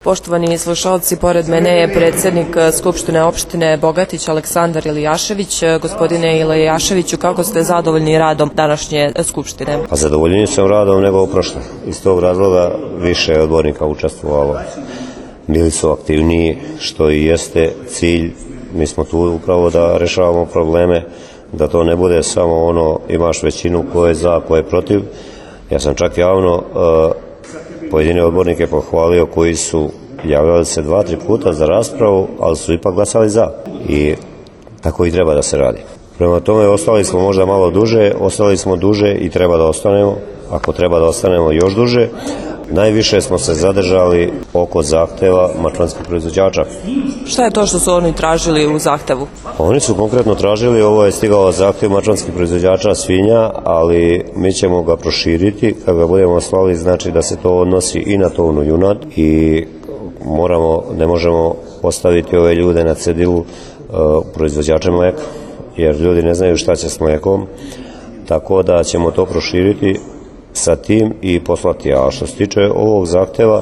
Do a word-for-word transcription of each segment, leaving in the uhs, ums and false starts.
Poštovani slušalci, pored mene je predsjednik Skupštine opštine Bogatić Aleksandar Ilijašević. Gospodine Ilijaševiću, kako ste zadovoljni radom današnje Skupštine? A zadovoljniji sam radom nego u prošlom. Iz tog razloga više je odbornika učestvovalo. Bili su aktivniji, što i jeste cilj. Mi smo tu upravo da rešavamo probleme, da to ne bude samo ono imaš većinu ko je za, ko je protiv. Ja sam čak javno uh, pojedine odbornike pohvalio koji su javljali se dva, tri puta za raspravu, ali su ipak glasali za. I tako i treba da se radi. Prema tome, ostali smo možda malo duže, ostali smo duže i treba da ostanemo. Ako treba da ostanemo još duže. Najviše smo se zadržali oko zahteva mačvanskih proizvođača. Šta je to što su oni tražili u zahtevu? Oni su konkretno tražili, ovo je stigao zahtev mačvanskih proizvođača svinja, ali mi ćemo ga proširiti. Kad ga budemo slali, znači da se to odnosi i na tovnu junad i moramo, ne možemo ostaviti ove ljude na cedilu uh, proizvođače mleka, jer ljudi ne znaju šta će s mlekom, tako da ćemo to proširiti sa tim i poslati. A što se tiče ovog zahteva,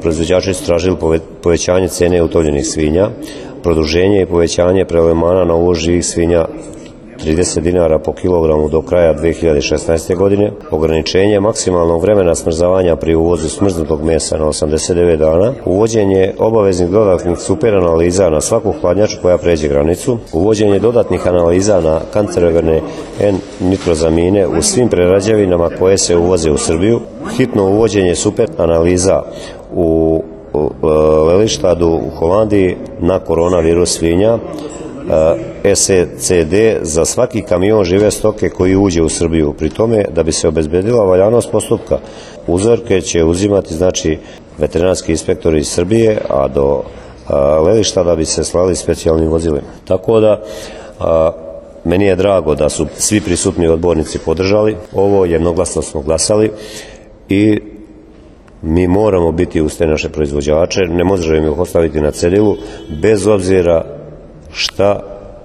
proizvođači su tražili povećanje cene utovljenih svinja, produženje i povećanje prelevmana na uvoz živih svinja trideset dinara po kilogramu do kraja dve hiljade šesnaeste. godine, ograničenje maksimalnog vremena smrzavanja pri uvozu smrznutog mesa na osamdeset devet dana, uvođenje obaveznih dodatnih super analiza na svaku hladnjaču koja pređe granicu, uvođenje dodatnih analiza na kancerogene N-nitrozamine u svim prerađevinama koje se uvoze u Srbiju, hitno uvođenje super analiza u Lelystadu u Holandiji na koronavirus svinja, S E C D za svaki kamion žive stoke koji uđe u Srbiju. Pri tome, da bi se obezbedila valjanost postupka, uzorke će uzimati znači veterinarski inspektori iz Srbije, a do Lelystada bi se slali specijalnim vozilima. Tako da a, meni je drago da su svi prisutni odbornici podržali ovo, jednoglasno smo glasali i mi moramo biti uz te naše proizvođače, ne možemo ih ostaviti na cedilu, bez obzira šta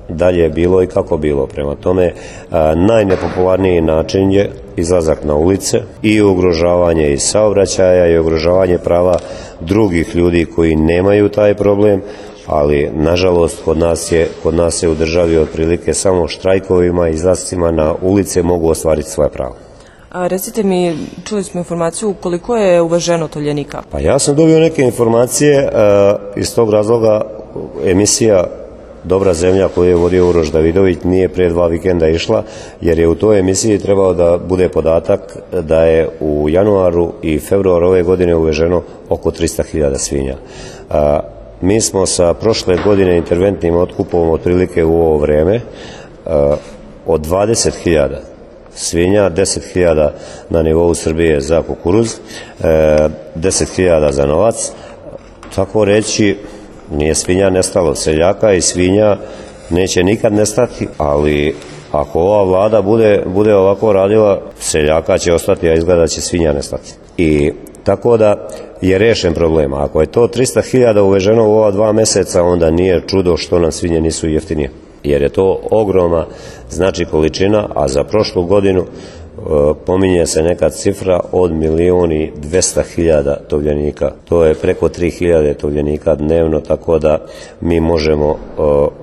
dalje je bilo i kako bilo. Prema tome, a, najnepopularniji način je izlazak na ulice i ugrožavanje i saobraćaja i ugrožavanje prava drugih ljudi koji nemaju taj problem, ali nažalost kod nas je, kod nas je u državi otprilike samo štrajkovima i izlascima na ulice mogu ostvariti svoje pravo. A recite mi, čuli smo informaciju koliko je uveženo tovljenika? Pa ja sam dobio neke informacije, a, iz tog razloga emisija Dobra zemlja koju je vodio Uroš Davidović nije prije dva vikenda išla, jer je u toj emisiji trebao da bude podatak da je u januaru i februaru ove godine uveženo oko tristo hiljada svinja. A, mi smo sa prošle godine interventnim otkupom otprilike u ovo vreme a, od dvadeset hiljada svinja, deset hiljada na nivou Srbije za kukuruz, a, deset hiljada za novac, tako reći. Nije svinja nestalo, seljaka i svinja neće nikad nestati, ali ako ova vlada bude, bude ovako radila, seljaka će ostati, a izgleda će svinja nestati. I tako da je rešen problem. Ako je to tristo hiljada uveženo u ova dva meseca, onda nije čudo što nam svinje nisu jeftinije. Jer je to ogromna znači količina, a za prošlu godinu pominje se neka cifra od milion i dvesta hiljada tovljenika. To je preko tri hiljade tovljenika dnevno, tako da mi možemo uh,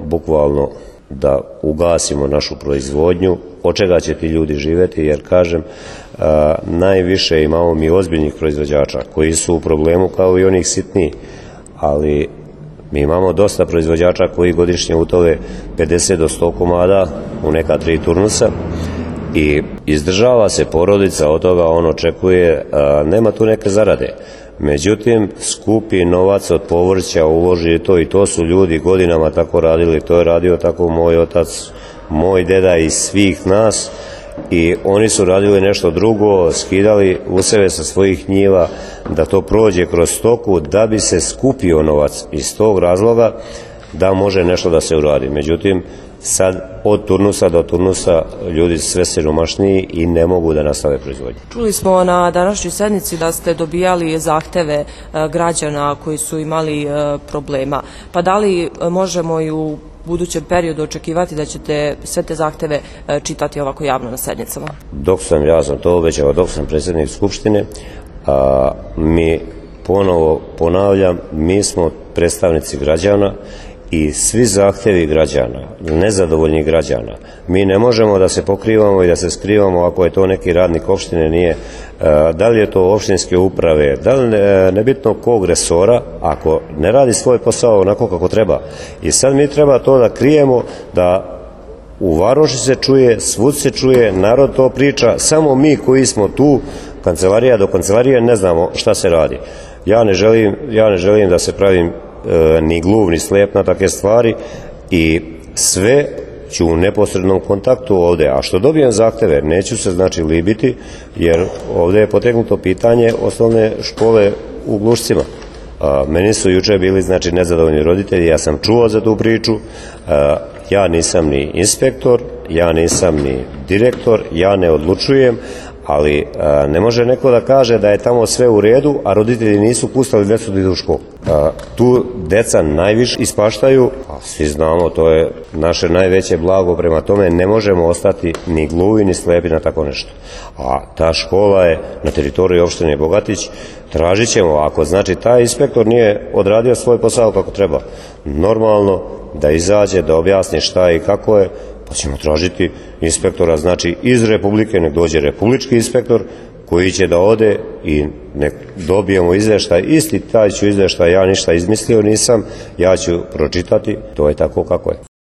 bukvalno da ugasimo našu proizvodnju. Od čega će ti ljudi živeti, jer kažem, uh, najviše imamo mi ozbiljnih proizvođača koji su u problemu kao i onih sitnijih, ali mi imamo dosta proizvođača koji godišnje utove pedeset do sto komada u neka tri turnusa, i izdržava se porodica od toga, on očekuje, a, nema tu neke zarade. Međutim, skupi novac od povrća, uloži to i to su ljudi godinama tako radili, to je radio tako moj otac, moj deda i svih nas, i oni su radili nešto drugo, skidali useve sa svojih njiva da to prođe kroz stoku da bi se skupio novac iz tog razloga da može nešto da se uradi. Međutim, sad od turnusa do turnusa ljudi sve siromašniji i ne mogu da nastave proizvodnju. Čuli smo na današnjoj sednici da ste dobijali zahteve građana koji su imali problema. Pa da li možemo i u budućem periodu očekivati da ćete sve te zahteve čitati ovako javno na sednicama? Dok sam, ja sam to obećao, dok sam predsjednik Skupštine, a, mi ponovo ponavljam, mi smo predstavnici građana i svi zahtjevi građana, nezadovoljnih građana, mi ne možemo da se pokrivamo i da se skrivamo ako je to neki radnik opštine, nije, da li je to opštinske uprave, da li ne, nebitno kog resora, ako ne radi svoj posao onako kako treba. I sad mi treba to da krijemo, da u Varoši se čuje, svud se čuje, narod to priča, samo mi koji smo tu, kancelarija do kancelarije, ne znamo šta se radi. Ja ne želim, ja ne želim da se pravim e, ni gluv, ni slijep na takve stvari i sve ću u neposrednom kontaktu ovde. A što dobijem zahteve, neću se znači libiti, jer ovde je potegnuto pitanje osnovne škole u Glušcima. A, meni su juče bili znači nezadovoljni roditelji, ja sam čuo za tu priču, a, ja nisam ni inspektor, ja nisam ni direktor, ja ne odlučujem, ali a, ne može neko da kaže da je tamo sve u redu, a roditelji nisu pustili djecu da idu u školu. A, tu deca najviše ispaštaju, a svi znamo, to je naše najveće blago, prema tome ne možemo ostati ni gluvi ni slepi na tako nešto. A ta škola je na teritoriji opštine Bogatić, tražit ćemo, ako znači taj inspektor nije odradio svoj posao kako treba, normalno da izađe, da objasni šta i kako je, pa ćemo tražiti inspektora, znači iz Republike, nek dođe republički inspektor koji će da ode i nek dobijemo izveštaj, isti taj ću izveštaj, ja ništa izmislio nisam, ja ću pročitati, to je tako kako je.